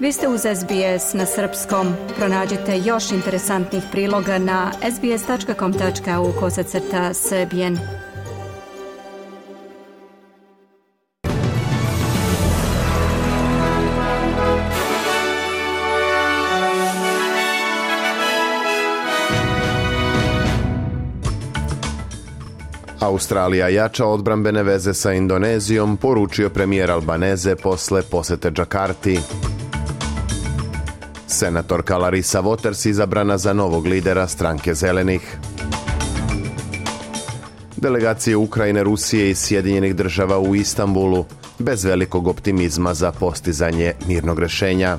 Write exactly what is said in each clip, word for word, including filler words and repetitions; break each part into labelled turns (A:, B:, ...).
A: Vi ste uz S B S na srpskom. Pronađite još interesantnih priloga na sbs.com.au kosacrta srbijen.
B: Australija jača odbrambene veze sa Indonezijom, poručio premijer Albaneze posle posete Džakarti. Senatorka Larissa Waters izabrana za novog lidera stranke Zelenih. Delegacije Ukrajine, Rusije i Sjedinjenih država u Istanbulu, bez velikog optimizma za postizanje mirnog rješenja.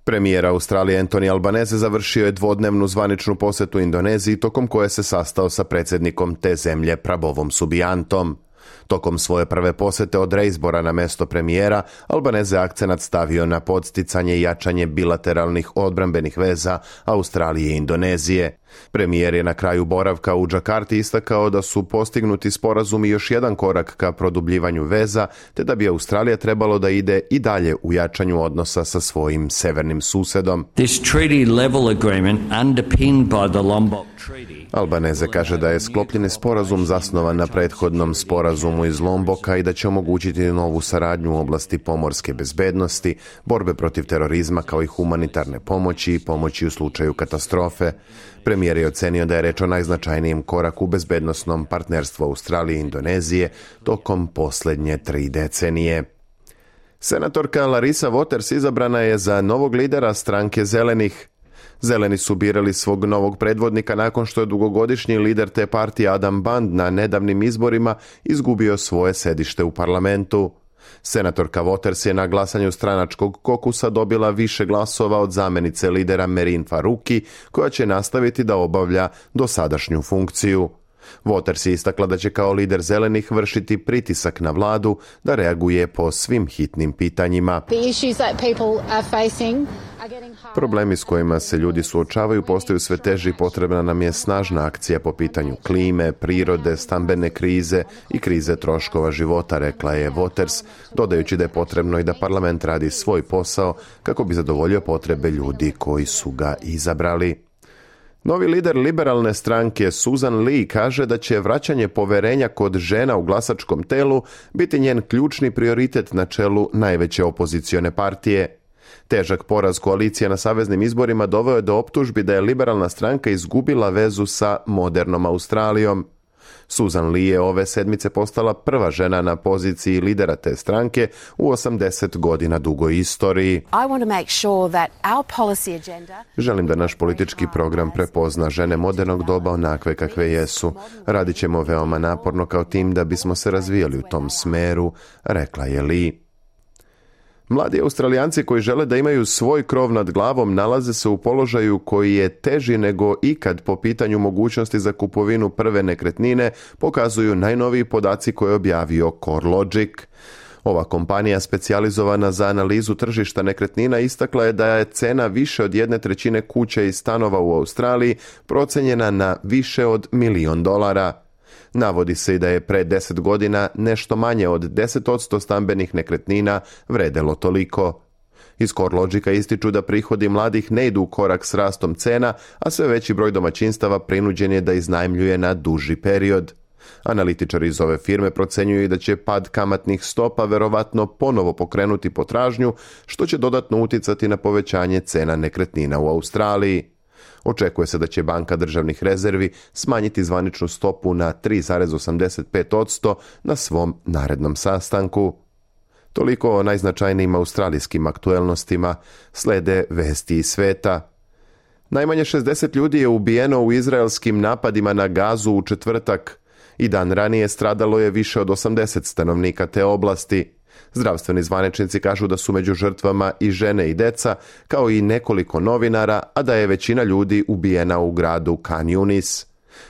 B: Premijer Australije Anthony Albanese završio je dvodnevnu zvaničnu posjetu Indoneziji, tokom koje se sastao sa predsjednikom te zemlje Prabovom Subiantom. Tokom svoje prve posjete od reizbora na mesto premijera, Albanese akcenat stavio na podsticanje i jačanje bilateralnih odbrambenih veza Australije i Indonezije. Premijer je na kraju boravka u Džakarti istakao da su postignuti sporazumi još jedan korak ka produbljivanju veza, te da bi Australija trebalo da ide i dalje u jačanju odnosa sa svojim severnim susedom.
C: This treaty level agreement underpinned by the Lombok Treaty.
B: Albanese kaže da je sklopljeni sporazum zasnovan na prethodnom sporazumu iz Lomboka i da će omogućiti novu saradnju u oblasti pomorske bezbednosti, borbe protiv terorizma kao i humanitarne pomoći i pomoći u slučaju katastrofe. Premijer je ocenio da je reč o najznačajnijem koraku u bezbednosnom partnerstvu Australije i Indonezije tokom posljednje tri decenije. Senatorka Larissa Waters izabrana je za novog lidera stranke Zelenih. Zeleni su birali svog novog predvodnika nakon što je dugogodišnji lider te partije Adam Band na nedavnim izborima izgubio svoje sedište u parlamentu. Senatorka Waters je na glasanju stranačkog kokusa dobila više glasova od zamjenice lidera Merin Faruqi, koja će nastaviti da obavlja dosadašnju funkciju. Waters je istakla da će kao lider Zelenih vršiti pritisak na vladu da reaguje po svim hitnim pitanjima. Problemi s kojima se ljudi suočavaju postaju sve teži i potrebna nam je snažna akcija po pitanju klime, prirode, stambene krize i krize troškova života, rekla je Waters, dodajući da je potrebno i da parlament radi svoj posao kako bi zadovoljio potrebe ljudi koji su ga izabrali. Novi lider liberalne stranke Susan Lee kaže da će vraćanje poverenja kod žena u glasačkom telu biti njen ključni prioritet na čelu najveće opozicione partije. Težak poraz koalicije na saveznim izborima doveo je do optužbi da je liberalna stranka izgubila vezu sa modernom Australijom. Susan Lee je ove sedmice postala prva žena na poziciji lidera te stranke u osamdeset godina dugoj istoriji. Želim da naš politički program prepozna žene modernog doba onakve kakve jesu. Radit ćemo veoma naporno kao tim da bismo se razvijali u tom smeru, rekla je Lee. Mladi Australijanci koji žele da imaju svoj krov nad glavom nalaze se u položaju koji je teži nego ikad po pitanju mogućnosti za kupovinu prve nekretnine, pokazuju najnoviji podaci koje je objavio CoreLogic. Ova kompanija specijalizovana za analizu tržišta nekretnina istakla je da je cena više od jedne trećine kuća i stanova u Australiji procenjena na više od milion dolara. Navodi se i da je pre deset godina nešto manje od deset posto stambenih nekretnina vredelo toliko. Iz CoreLogica ističu da prihodi mladih ne idu u korak s rastom cena, a sve veći broj domaćinstava prinuđen je da iznajmljuje na duži period. Analitičari iz ove firme procenjuju da će pad kamatnih stopa verovatno ponovo pokrenuti potražnju, što će dodatno uticati na povećanje cena nekretnina u Australiji. Očekuje se da će Banka državnih rezervi smanjiti zvaničnu stopu na tri zarez osamdeset pet posto na svom narednom sastanku. Toliko o najznačajnijim australijskim aktuelnostima, slede vesti iz sveta. Najmanje šezdeset ljudi je ubijeno u izraelskim napadima na Gazu u četvrtak i dan ranije stradalo je više od osamdeset stanovnika te oblasti. Zdravstveni zvaničnici kažu da su među žrtvama i žene i deca, kao i nekoliko novinara, a da je većina ljudi ubijena u gradu Khan Yunis.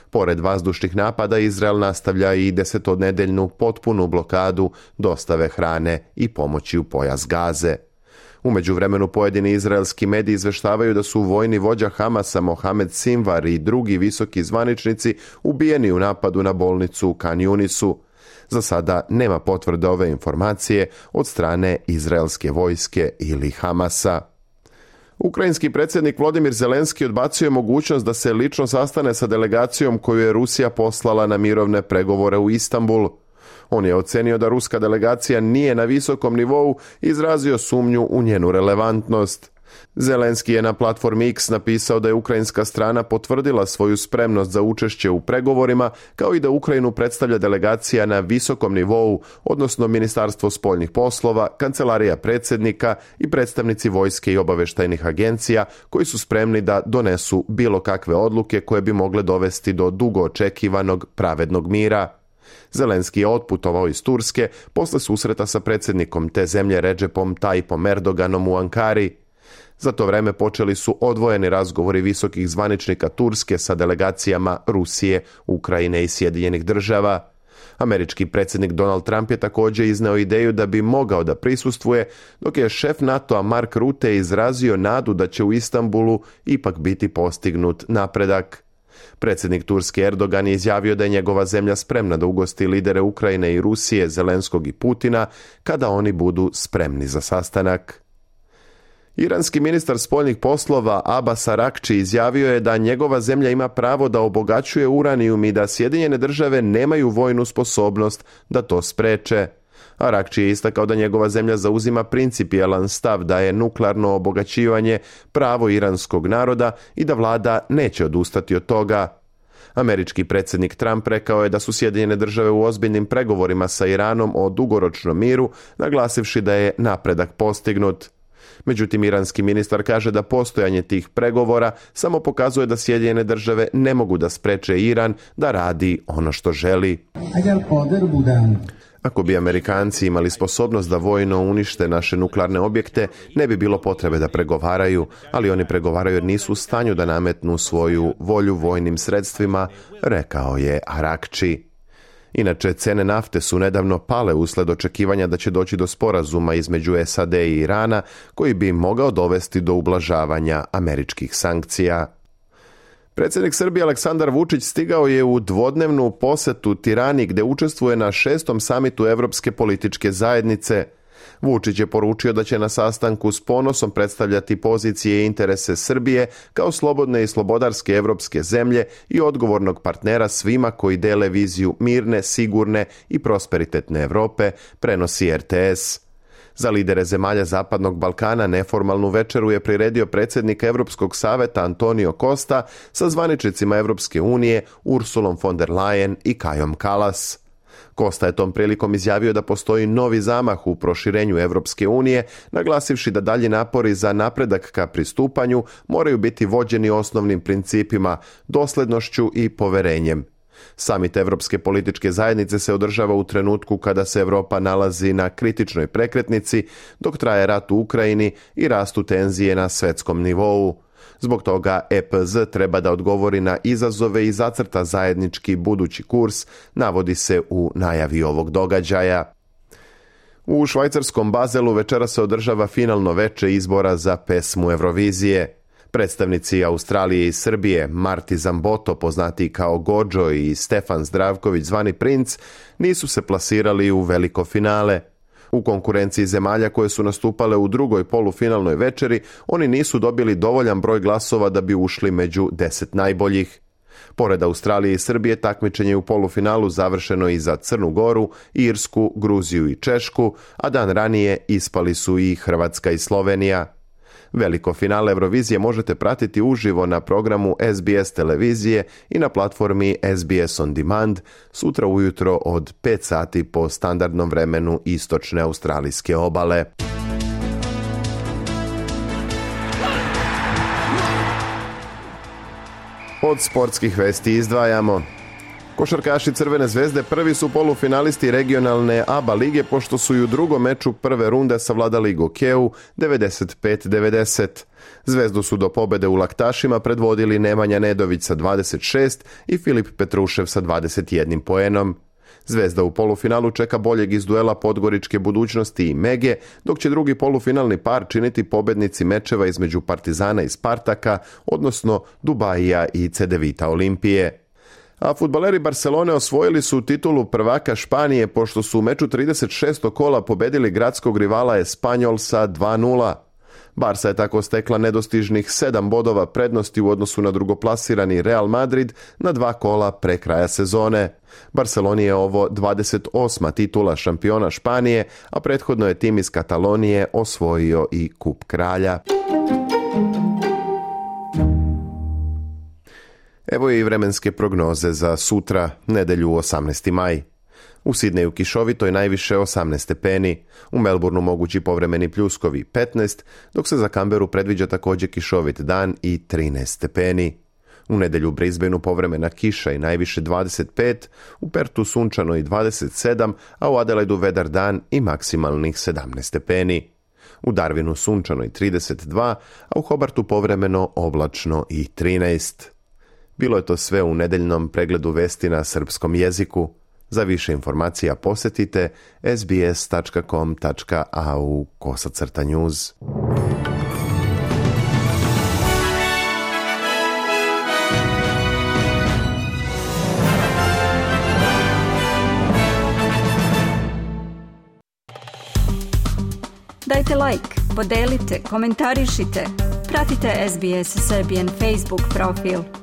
B: Pored vazdušnih napada, Izrael nastavlja i desetodnedeljnu potpunu blokadu dostave hrane i pomoći u pojas Gaze. U međuvremenu pojedini izraelski mediji izveštavaju da su vojni vođa Hamasa Mohamed Sinvar i drugi visoki zvaničnici ubijeni u napadu na bolnicu u Khan Yunisu. Za sada nema potvrde ove informacije od strane izraelske vojske ili Hamasa. Ukrajinski predsjednik Volodymyr Zelenski odbacio je mogućnost da se lično sastane sa delegacijom koju je Rusija poslala na mirovne pregovore u Istanbul. On je ocenio da ruska delegacija nije na visokom nivou i izrazio sumnju u njenu relevantnost. Zelenski je na platformi X napisao da je ukrajinska strana potvrdila svoju spremnost za učešće u pregovorima, kao i da Ukrajinu predstavlja delegacija na visokom nivou, odnosno Ministarstvo spoljnih poslova, Kancelarija predsjednika i predstavnici vojske i obavještajnih agencija koji su spremni da donesu bilo kakve odluke koje bi mogle dovesti do dugo očekivanog pravednog mira. Zelenski je otputovao iz Turske posle susreta sa predsjednikom te zemlje Redžepom Tayyipom Erdoganom u Ankari. Za to vreme počeli su odvojeni razgovori visokih zvaničnika Turske sa delegacijama Rusije, Ukrajine i Sjedinjenih država. Američki predsjednik Donald Trump je također izneo ideju da bi mogao da prisustvuje, dok je šef NATO-a Mark Rutte izrazio nadu da će u Istanbulu ipak biti postignut napredak. Predsjednik Turske Erdogan je izjavio da je njegova zemlja spremna da ugosti lidere Ukrajine i Rusije, Zelenskog i Putina, kada oni budu spremni za sastanak. Iranski ministar spoljnih poslova Abbas Araghči izjavio je da njegova zemlja ima pravo da obogaćuje uranijum i da Sjedinjene države nemaju vojnu sposobnost da to spreče. Araghči je istakao da njegova zemlja zauzima principijelan stav da je nuklearno obogaćivanje pravo iranskog naroda i da vlada neće odustati od toga. Američki predsjednik Trump rekao je da su Sjedinjene države u ozbiljnim pregovorima sa Iranom o dugoročnom miru, naglasivši da je napredak postignut. Međutim, iranski ministar kaže da postojanje tih pregovora samo pokazuje da Sjedinjene države ne mogu da spreče Iran da radi ono što želi. Ako bi Amerikanci imali sposobnost da vojno unište naše nuklearne objekte, ne bi bilo potrebe da pregovaraju, ali oni pregovaraju jer nisu u stanju da nametnu svoju volju vojnim sredstvima, rekao je Araghči. Inače, cene nafte su nedavno pale usled očekivanja da će doći do sporazuma između S A D i Irana, koji bi mogao dovesti do ublažavanja američkih sankcija. Predsjednik Srbije Aleksandar Vučić stigao je u dvodnevnu posetu Tirani gdje učestvuje na šestom samitu Evropske političke zajednice. Vučić je poručio da će na sastanku s ponosom predstavljati pozicije i interese Srbije kao slobodne i slobodarske evropske zemlje i odgovornog partnera svima koji dele viziju mirne, sigurne i prosperitetne Europe, prenosi R T S. Za lidere zemalja Zapadnog Balkana neformalnu večeru je priredio predsjednik Europskog saveta Antonio Costa sa zvaničnicima Europske unije Ursulom von der Leyen i Kajom Kallas. Costa je tom prilikom izjavio da postoji novi zamah u proširenju Europske unije, naglasivši da dalji napori za napredak ka pristupanju moraju biti vođeni osnovnim principima, doslednošću i poverenjem. Samit Evropske političke zajednice se održava u trenutku kada se Europa nalazi na kritičnoj prekretnici, dok traje rat u Ukrajini i rastu tenzije na svjetskom nivou. Zbog toga E P Z treba da odgovori na izazove i zacrta zajednički budući kurs, navodi se u najavi ovog događaja. U švajcarskom Bazelu večera se održava finalno veče izbora za pesmu Eurovizije. Predstavnici Australije i Srbije, Marti Zamboto, poznati kao Gođo, i Stefan Zdravković, zvani Princ, nisu se plasirali u veliko finale. U konkurenciji zemalja koje su nastupale u drugoj polufinalnoj večeri, oni nisu dobili dovoljan broj glasova da bi ušli među deset najboljih. Pored Australije i Srbije, takmičenje u polufinalu završeno i za Crnu Goru, Irsku, Gruziju i Češku, a dan ranije ispali su i Hrvatska i Slovenija. Veliko finale Eurovizije možete pratiti uživo na programu S B S televizije i na platformi S B S On Demand sutra ujutro od pet sati po standardnom vremenu istočne australijske obale. Od sportskih vesti izdvajamo: košarkaši Crvene zvezde prvi su polufinalisti regionalne A B A lige, pošto su i u drugom meču prve runde savladali Gokeu devedeset pet devedeset. Zvezdu su do pobede u Laktašima predvodili Nemanja Nedović sa dvadeset šest i Filip Petrušev sa dvadeset jedan poenom. Zvezda u polufinalu čeka boljeg iz duela Podgoričke Budućnosti i Mege, dok će drugi polufinalni par činiti pobednici mečeva između Partizana i Spartaka, odnosno Dubajija i Cedevita Olimpije. A fudbaleri Barcelone osvojili su titulu prvaka Španije pošto su u meču trideset šestog kola pobedili gradskog rivala Espanyol sa dva nula. Barsa je tako stekla nedostižnih sedam bodova prednosti u odnosu na drugoplasirani Real Madrid na dva kola pre kraja sezone. Barceloni je ovo dvadeset osma titula šampiona Španije, a prethodno je tim iz Katalonije osvojio i Kup kralja. Evo i vremenske prognoze za sutra, nedelju osamnaesti maj. U Sidneju kišovito je najviše osamnaest stepeni, u Melbourneu mogući povremeni pljuskovi petnaest, dok se za Canberu predviđa također kišovit dan i trinaest stepeni. U nedelju u Brisbaneu povremena kiša i najviše dvadeset pet, u Pertu sunčano i dvadeset sedam, a u Adelaidu vedar dan i maksimalnih sedamnaest stepeni. U Darwinu sunčano i trideset dva, a u Hobartu povremeno oblačno i trinaest. Bilo je to sve u nedeljnom pregledu vesti na srpskom jeziku. Za više informacija posjetite sbs tačka com tačka a u kosacrta news.
A: Dajte like, podelite, komentarišite. Pratite S B S Serbian Facebook profil.